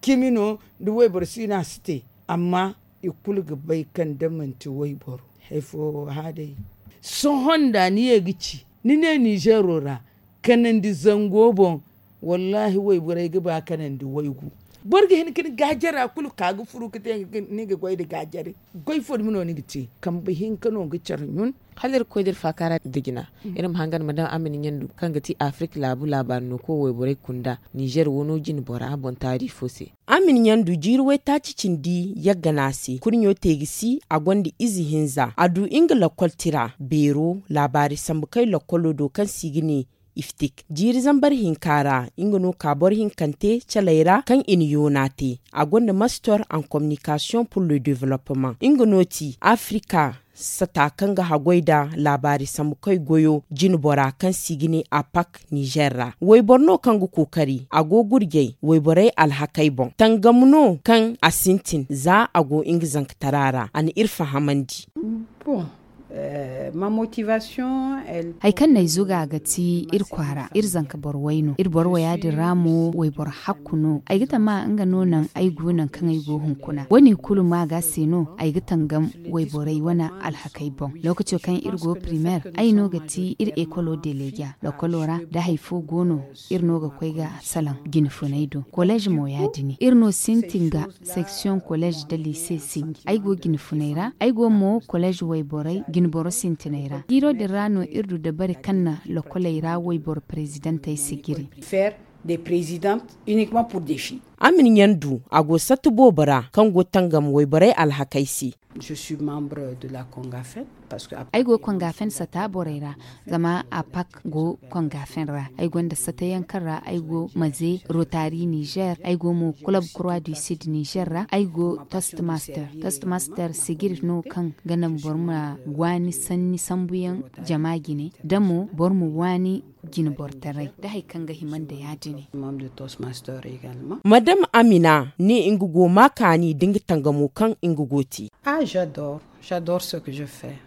cimi no, da wayboro si no a si te. Amma i kulu ga bay kaŋ da manti wayboro hari fo wo hã day. Sohõ nda ni ye ga ci ni ne ninzeero ra kanandi zango boŋ. Wallaahi wayborey ga ba kanandi waygu. Boro ga hin ka ni gaajara kulu ka ga furu ka te ni ga goy nda gaajare. Goy fo dumi no ni ga te kambe hinka no ga care ɲun. Hala iri ga koy da iri faakaara nda jina, iri ma hangan ma daŋ amina ɲandu kaŋ ga ti afirik laabu laabaari no koy wayborey kunda ninzeer wano jine bora boŋ taari fo se. Amina ɲandu jiiri waytaaci cindi yagga no a se kurɲo te ga si a gonda ize hinza a du nga lakkol tira beero laabaari sambu kay lakkolo do kaŋ se i ga ne iftik jiiri zambar hinka ra. Nga no ka boro hinkante caley ra kaŋ i na yoona te a gonda mastor en kominikasiyoŋ pur le developement nga no ti afirika sata kaŋ ga haggoy nda laabaari sambu kay goyo jinbora kaŋ se i ga ne apak nizer ra wayboro no kaŋ ga kookari a go gurjay wayborey alhakey boŋ tangam no kaŋ a sintin za a go nga zankatara ra a na iri fahamandi. Hay kaŋ no ay zuga ga ti iri kwaara iri zanka boro way no iri boro waya din ra mo wayboro hakku no ay ga tama nga no naŋ ay go naŋ kaŋ ay go hunkuna wo- ne kulu ma ga se no ay ga tangam wayborey wane alhakey boŋ. Lookaco kaŋ iri go primer ay no ga ti iri ekolo deleja lokolo ra da hari fo go no iri no ga koy ga salaŋ jine funey do kolej mo ya- din iri no sintin ga seksiyoŋ kolej nda lise sinji ay go jine funey ra ay go mo kolej wayborey jinboro sintiney ra jiiro din ra no iri du dabari kaŋ na lokoley ra wayboro prezidantey si jiri. Amina ɲandu a go satta boobo ra kaŋ go tangam wayborey alhakey se. Ay go kongafen sata borey ra zama apak go kongafen ra ay gonda sata yaŋ kaŋ ra ay go maze rotari nizer ay go mo kulob kurwa du sid nizer ra ay go tostmaster tostmaster sigir no kaŋ ga naŋ boro ma waani sanni sambuyaŋ jama jine da mo boro ma waani jinbortaray da hari kaŋ ga hima nda ya- din. Madam amina ne nga go ma kaani da nga tangamo kaŋ nga go te.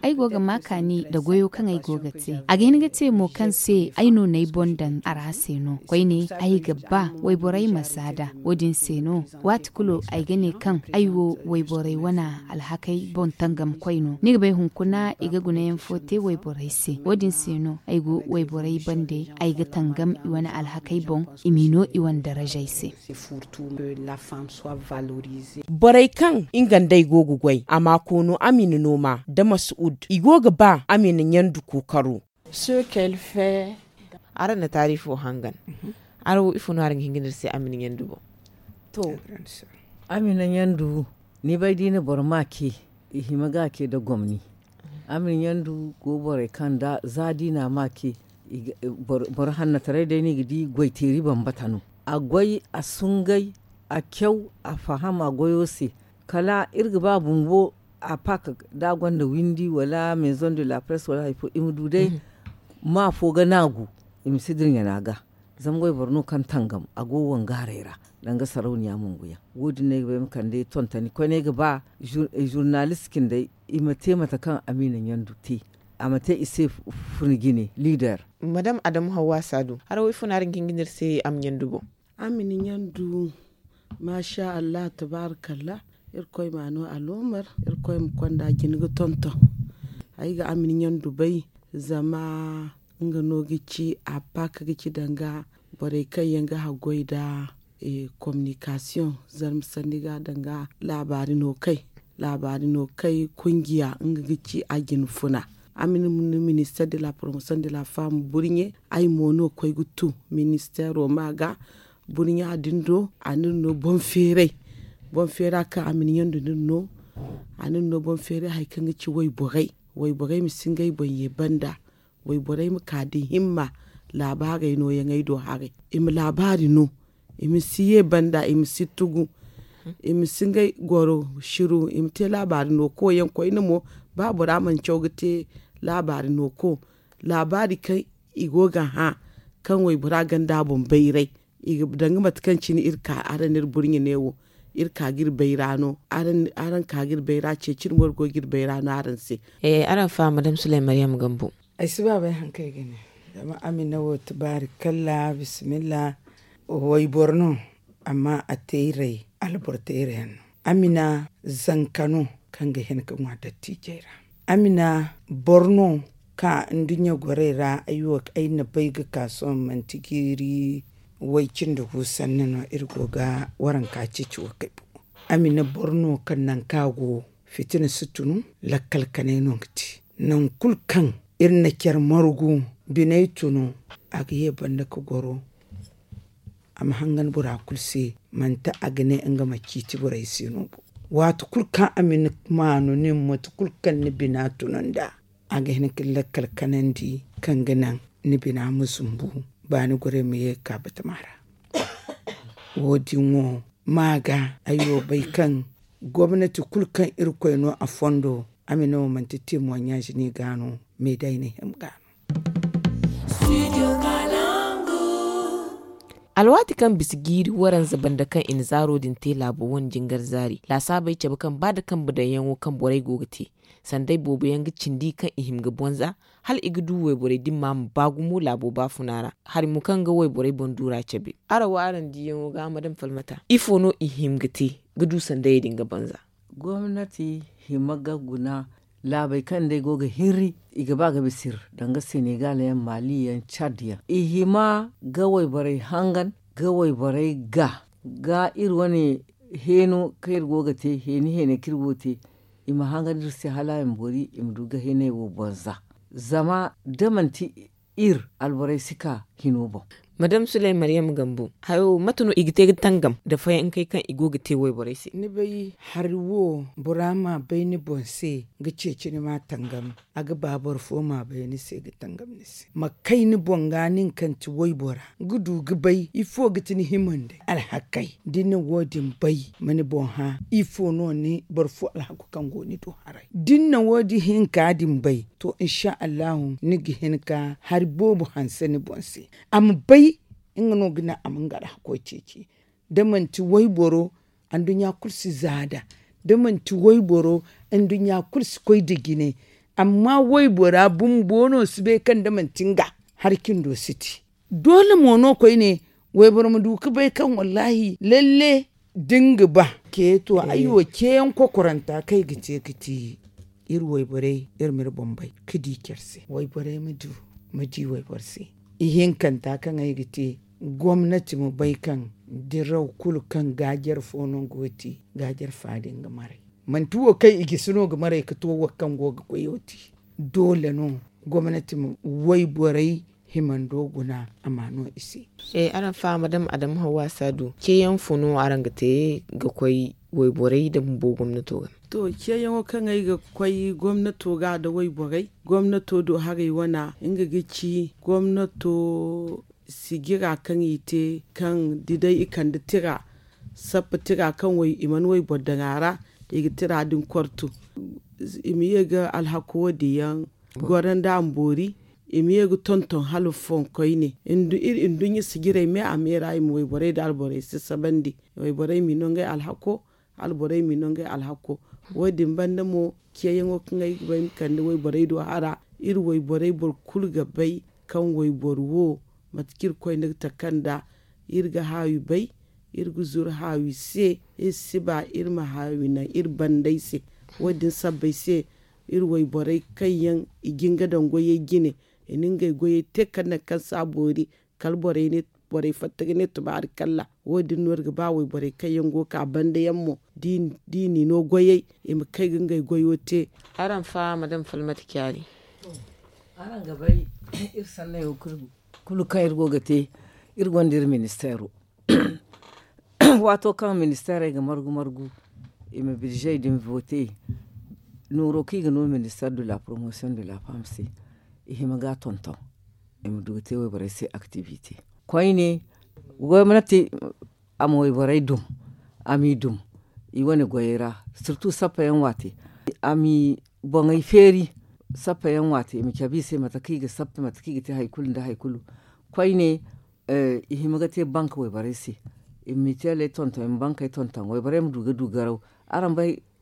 Ay go ga ma kaani nda goyo kaŋ ay go ga te a ga hin ga te mo kaŋ se ay no n'ay boŋ daŋ a ra se no koyne ay ga ba wayborey ma zaada wo- din se no waati kulu ay ga ne kaŋ ay wo wayborey wane alhakey boŋ tangamkoy no ni ga bay hunkuna i ga gunayaŋ fo te wayborey se wo- din se no ay go wayborey bande ay ga tangam i wane alhakey boŋ i m'i no i wane darajey se. Borey kaŋ nga nd'ey go ga goy a ma koono amina nooma nda masuud i go ga ba amina ɲandu kookaro. Araŋ na taarifo hangan araŋ wo ifo no araŋ ga hin ga ne iri se amina ɲandu boŋ? To amina ɲandu ni bay da i na boro ma ce i hima ga a ce nda gomni. Amina ɲandu go borey kaŋ za da i na a ma ce boro hannataray day no i ga di goyteeri bambata no. A goy a sungay a caw a faham a goyo se. Kala iri ga ba bumbo a pak da a gonda windi wala maison de la presse wala hari fo i ma du day ma fo ga naagu i ma si dirɲana ga. Zama wayboro no kaŋ tangam a go wangaaray ra danga sarauniya munguyaŋ wo- din no ay ga ba ay ma kande tontoni koyne ay ga ba zurnalist cindey i ma te mate kaŋ amina ɲandu te a ma te i se funa jine liider. Madam adamu hawwa saadu hara wo ifo no araŋ ga hin ga ne iri se amina ɲandu boŋ? Amina ɲandu maasa allah tabaaraka allah. Irkoy ma a no aloomar irkoy ma konda jina ga tonton. Ay ga amina ɲandu bay zama nga no ga ci a paaka ga ci danga borey kaŋ yaŋ ga haggoy nda kominikasiyoŋ zarma sanni ga danga laabaari no kay laabaari no kay kungiya nga ga ci a jina funa. Amina minister de la promotion de la femme burɲe ay mo no koy ga tu ministero ma ga burɲa din do a na iri no boŋ feeray. Boŋ feera kaŋ a ma ni ɲandu ni no a na iri no boŋ feeray hari kaŋ ga ci wayborey wayborey ma si ngey boŋ ye banda. Wayborey ma ka da himma laabaarey nooyaŋey do haray i ma laabaari no i ma si ye banda i ma si tugu i ma si ngey goro siru i ma te laabaari no koyyaŋ koyne mo. Ba bora mana caw ga te laabaari no ko laabaari kaŋ i go ga hã kaŋ waybora gonda a boŋ bayray. Danga mate kaŋ cine iri ka araŋ n'iri burɲe ne wo iri ka ga iri bayra no. Araŋ ka ga iri bayra ceeci iri mo iri go ga iri bayra no araŋ se. Araŋ faham madame sulay mariyam gambo. Ay si ba bay hari kaŋ ay ga ne. Zama a ma ne wo tabaari kalla bisimilla. Wayboro no, amma a teeray alboro teeray yaŋ no. A ma ne zanka no kaŋ ga hin ga ŋwa dattiijey ra. A ma ne boro no ka nduɲɲa gorey ra. Ay wo ay na bay ga ka sohõ manti jiiri way cindi gu sanni no iri go ga waranka ceeci wo kay. A ma ne boro no kaŋ nangu kaŋ a go fitina si tunu. Lakkal kanay no ga te nangu kulu kaŋ iri na care margu biney tunu. A ga ye banda ga goro a ma hangan bora kulu se. Manti a ga ne nga ma ciiti borey se no bo. Waati kulu kaŋ a ma ni maanu nin mate kulu kaŋ ni bina tunu nd'a, a ga hin ga ni lakkal kanandi kaŋ ga naŋ ni bina ma zumbu. Baani gorey ma ye ga ka batama ra. Wo- din wo ma ga ay wo bay kaŋ gomnati kulu kaŋ irkoy no a fondo. A ma ne wo manti teemuwaɲaazi no i ga no. Meeday na hima ga no. Alwaati kaŋ bisa jiiri waranza banda kaŋ i na zaaro din te laabo wane jingar zaari laasaabey cabe kaŋ ba da kambe daŋyaŋo kaŋ borey go ga te. Sanday boobo yaŋ ga cindi kaŋ i hima ga bonza hala i ga du wayborey dimma ma ba gumo laabo baafuna ra. Hari mo kaŋ ga wayborey boŋ duura cabe. Araŋ wo araŋ diyaŋo ga madam falmata ifo no i hima ga te ga du sandayey din ga bonza? Gomnati hima ga guna laabey kaŋ day go ga hirri i ga ba ga bisa iri danga senegal yaŋ mali yaŋ cad yaŋ i hima ga wayborey hangan ga wayborey ga ga iri wane heeno kaŋ iri go ga te heeni heeney kaŋ iri go ga te. I ma hangan iri se hala i ma boori i ma du ga heeney wo bonza. Zama da manti iri alborey si ka hino boŋ. Madam suley maryam gambo hayo mate no i ga te ga tangam nda fayankey kaŋ i go ga te wayborey se? Ni bay hari wo bora ma bay ni boŋ se ga ceeci ni ma tangam. A ga ba boro fo ma bay ni se ga tangam ni se ma kay ni boŋ ga nin kaŋ ti waybora ga du ga bay ifo ga ti ni himandi alhakey. Da ni na wo- din bay ma ni boŋ hã ifo no ni boro fo alhaku kaŋ go ni do haray da ni na wo- din hinka din bay to insa allahu ni ga hin ka hari boobo hanse ni boŋ se. A ma bay nga no ga naŋ a ma nga alhako ceeci. Da manti wayboro anduɲɲa kulu si zaada da manti wayboro anduɲɲa kulu si koy nda jine. Amma waybora bumbo no si bay kaŋ da manti nga hari cindo si ti. Doole mo no koyne wayboro ma du ga bay kaŋ wallaahi lalle da nga ba ce to ay wo ceeyaŋ kokoranta kaŋ ay ga te ga ti iri wayborey iri ma iri boŋ bay ga di care se wayborey ma du ma di wayboro se. Ihinkanta kaŋ ay ga te gomnati ma bay kaŋ diraw kulu kaŋ gaajare fo no go ga te gaajare fa din ga maray. Manti wo kaŋ i gisi no ga maray ga to wo kaŋ go ga goyo te. Doole no gomnati ma wayborey himando guna a ma no i se. Araŋ faama dama adamu hawa saadu ceeyaŋ fo no araŋ ga te ga koy wayborey nda bumbo gomnato ga? To ceeyaŋo kaŋ ay ga koy gomnato ga nda wayborey gomnato do haray wana nga ga ci gomnato sijira kaŋ i te kaŋ da day i kande tira sappa tira kaŋ i mana wayboro daŋ a ra i ga tira din kortu. I ma ye ga alhako wo- din yaŋ goro nda a ma boori. I ma ye ga tonton hala foŋ koyne iri nduɲɲa sijirey me a me ra i ma wayborey nda alborey sasabandi. Wayborey m'i no ngey alhako hala borey m'i no ngey alhako. Wo- din banda mo ceeyaŋo kaŋ ay ga bay ma kande wayborey do hara iri wayborey boro kulu ga bay kaŋ wayboro wo mate kaŋ iri koyne ga taka nd'a. Iri ga haawi bay iri ga zuru haawi se. Iri si ba iri ma haawi naŋ iri bandey se. Wo- din sabbay se iri wayborey kaŋ yaŋ i ga nga daŋ goyey jine i na ngey goyey te kala nangu kaŋ si a boori kala borey fatta ga ne tubaari kalla. Wo- din no iri ga ba wayborey kaŋ yaŋ go ga ka banda yaŋ mo da i n'i no goyey i ma kay ga ngey goyo te. Araŋ faama dama falmata caari. Araŋ ga bay iri sannayo kulu kaŋ iri go ga te iri gonda iri ministeero. Waato kaŋ ministeerey ga margu margu i ma birzey din vote nooro kaŋ i ga no ministeer de la promotion de la femme se i hima ga a tonton. I ma du ga te wayborey se activite koyne gomnati a ma wayborey dum a m'i dum i wane goyey ra. Sirtu sappa yaŋ waate a m'i boŋey feeri sappa yaŋ waate i ma cabe i se mate kaŋ i ga sappe mate kaŋ i ga te hari kulu nda hari kulu. Koyne i hima ga te bank wayborey se i ma miteley tonton i ma bankey tonton wayborey ma du ga du garaw. Araŋ bay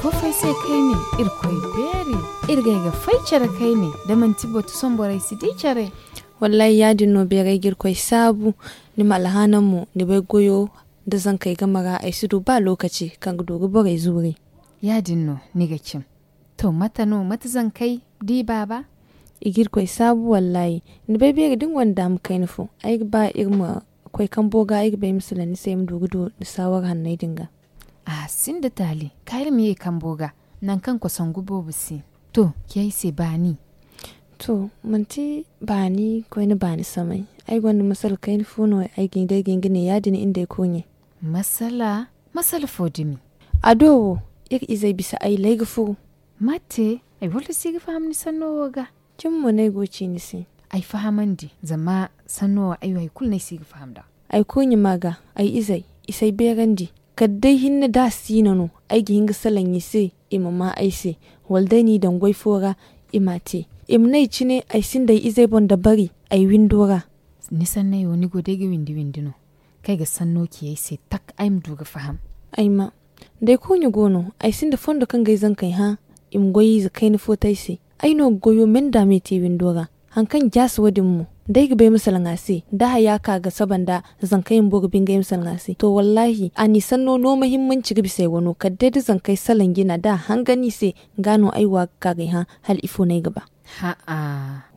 Foofay se kayne, irkoy beeri. Irgay ga fay care kayne, da manti batu somborey si di care. Wallaahi yaadin no beeray ga irkoy saabu. Ni ma alhaana mo ni bay goyo, da zankey game ra ay si du ba lookaci kaŋ ga du ga borey zuuri. Yaadin no ni ga cin. To mate no mate zankey? Di baaba. I ga irkoy saabu wallaahi. Ni bay beeri da ni gonda daama kayna fo, ay ga ba iri ma koy kambo ga ay ga ba ay ma salaŋ ni se ay ma du ga du ni saawara hanney din ga. A sinda taali. Kaari ma ye kambo ga, nangu kaŋ kosangu boobo si. To ci ay se baani. To manti baani koyne baani samay. Ay gonda masala kayna fo no ay ga hin day ga hin ga ne yaadin inda ay koyne. Masala? Masala fo dumi? A do wo, iri izey bisa ay lay ga furu. Mate? Ay walla si ga faham ni sanno wo ga? Cin mo no ay go ga ci ni se. Ay fahamandi zama sanno wo ay wo hari kulu no ay si ga faham nd'a. Ay koyne ma ga, ay izey i si ay beerandi. Kala day hinne da a si no no, ay ga hin ga salaŋ i se, i ma ma ay se. Wala day n'i daŋ goy fo ra, i m'a te. I ma ne ay cine ay sinda ay izey boŋ dabari ay windo ra. Ni sanney wo ni go day ga windi windi no? Kaŋ ay ga sanno ci ay se tak ay ma du ga faham. Ay ma, da ay koyne go no, ay sinda fondo kaŋ ga ay zankey hã, i ma goy ize kayna fo te ay se. Ay no ga goyo me nda me te windo ra. Hari kaŋ jaasa wo- din mo, da ay ga bay ma salaŋ a se, da haya ka ga saba nda zankey bumbo ga bingay ma salaŋ a se. To wallaahi a n'i sanno no muhimmanci ga bisa ay wano kala day da zankey salaŋ jina da a hangan i se. Ga no ay wo a ga ka ga ay hã. Hala ifo no ay ga ba?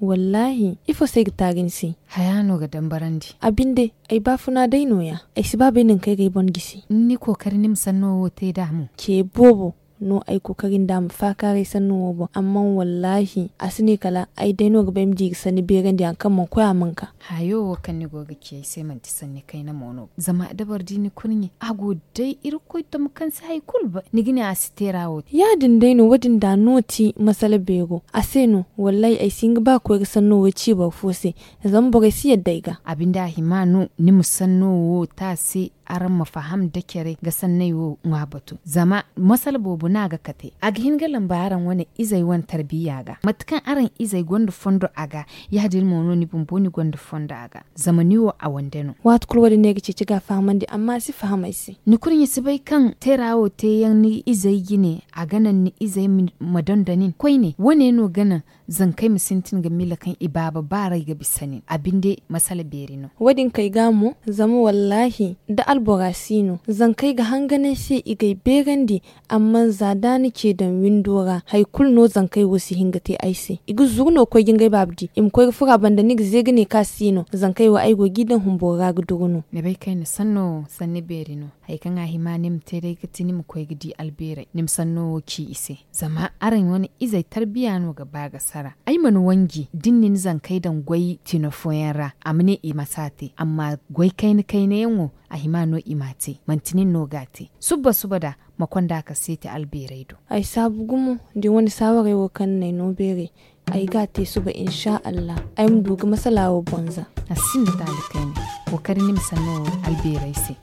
Wallaahi ifo se ay ga taari ni se? Haya no ga dambarandi. A binde, ay baafuna day no- ya. Ay si ba bay nangu kaŋ ay ga ay boŋ gisi. Ni kookari ni ma sanno wo te nd'a mo? Ce boobo no ay kookari nda a ma faakaaray sanno wo boŋ amma wallaahi a si ne kala ay day no ga ba ay ma di ga sanni beerandi hari kaŋ mana koy a mana ka. Hayo wo kaŋ ni go ga ci ay se manti sanni kayna mo no zama da boro di ni kurɲe a go day irkoy tamo kaŋ si hari kulu ba ni ga ne a si te ra wo. Ya- din day no wo- din da no ti masala beero a se no. Wallaahi ay si hin ga ba ga koy ga sanno wo ci boro fo se. Zama borey si yadda ay ga. A binde a hima no ni ma sanno wo te a se. Araŋ ma faham da care ga sanney wo ŋwa batu zama masala boobo no a ga kate a ga hin ga lamba araŋ wane izey wane tarbiya ga mate kaŋ araŋ izey gonda fondo a ga. Ya- din mo no ni bumbo ni gonda fondo a ga. Zama ni wo a wande no. Waati kulu wo- din no ay ga ceeci ga a fahamandi amma a si faham ay se. Ni kurɲe si bay kaŋ teera wo te yaŋ ni izey jine a ga naŋ ni izey ma donda nin koyne wo- ne no ga naŋ zankey ma sintin ga miila kaŋ i baaba baaray ga bisa nin a binde masala beeri no. Wo- din kay ga mo zama wallaahi da albora si no zankey ga hangan ay se i ga ay beerandi. Amma za da ni ce daŋ windo ra hari kulu no zankey wo si hin ga te ay se i ga zuru no ga koy ga ngey baaba di i ma koy ga furo a banda ni ga ze ga ne kaŋ a si no zankey wo ay go g'i daŋ humboro ra ga duru no. Ni bay kaŋ ay na sanno wo sanni beeri no. Hari kaŋ a hima ni ma te day ga ti ni ma koy ga di albeerey ni ma sanno wo ci i se. Zama araŋ wane izey tarbiya no ga ba ga sara ay mana wanji da ni na ni zankey daŋ goy tino fooyaŋ ra a ma ne i ma si a te amma goy kayna kayna yaŋ wo a hima no i m'a te manti nin no ga a te. Suba suba da ma konda ka seeti albeerey do. Ay saabu gumo da ni wane saawarey wo kaŋ ni n'ay no beeray. Ay ga a te suba insa allah ay ma du ga masala wo bonza. A sinda taali kayna kookari ni ma sanno wo albeerey se.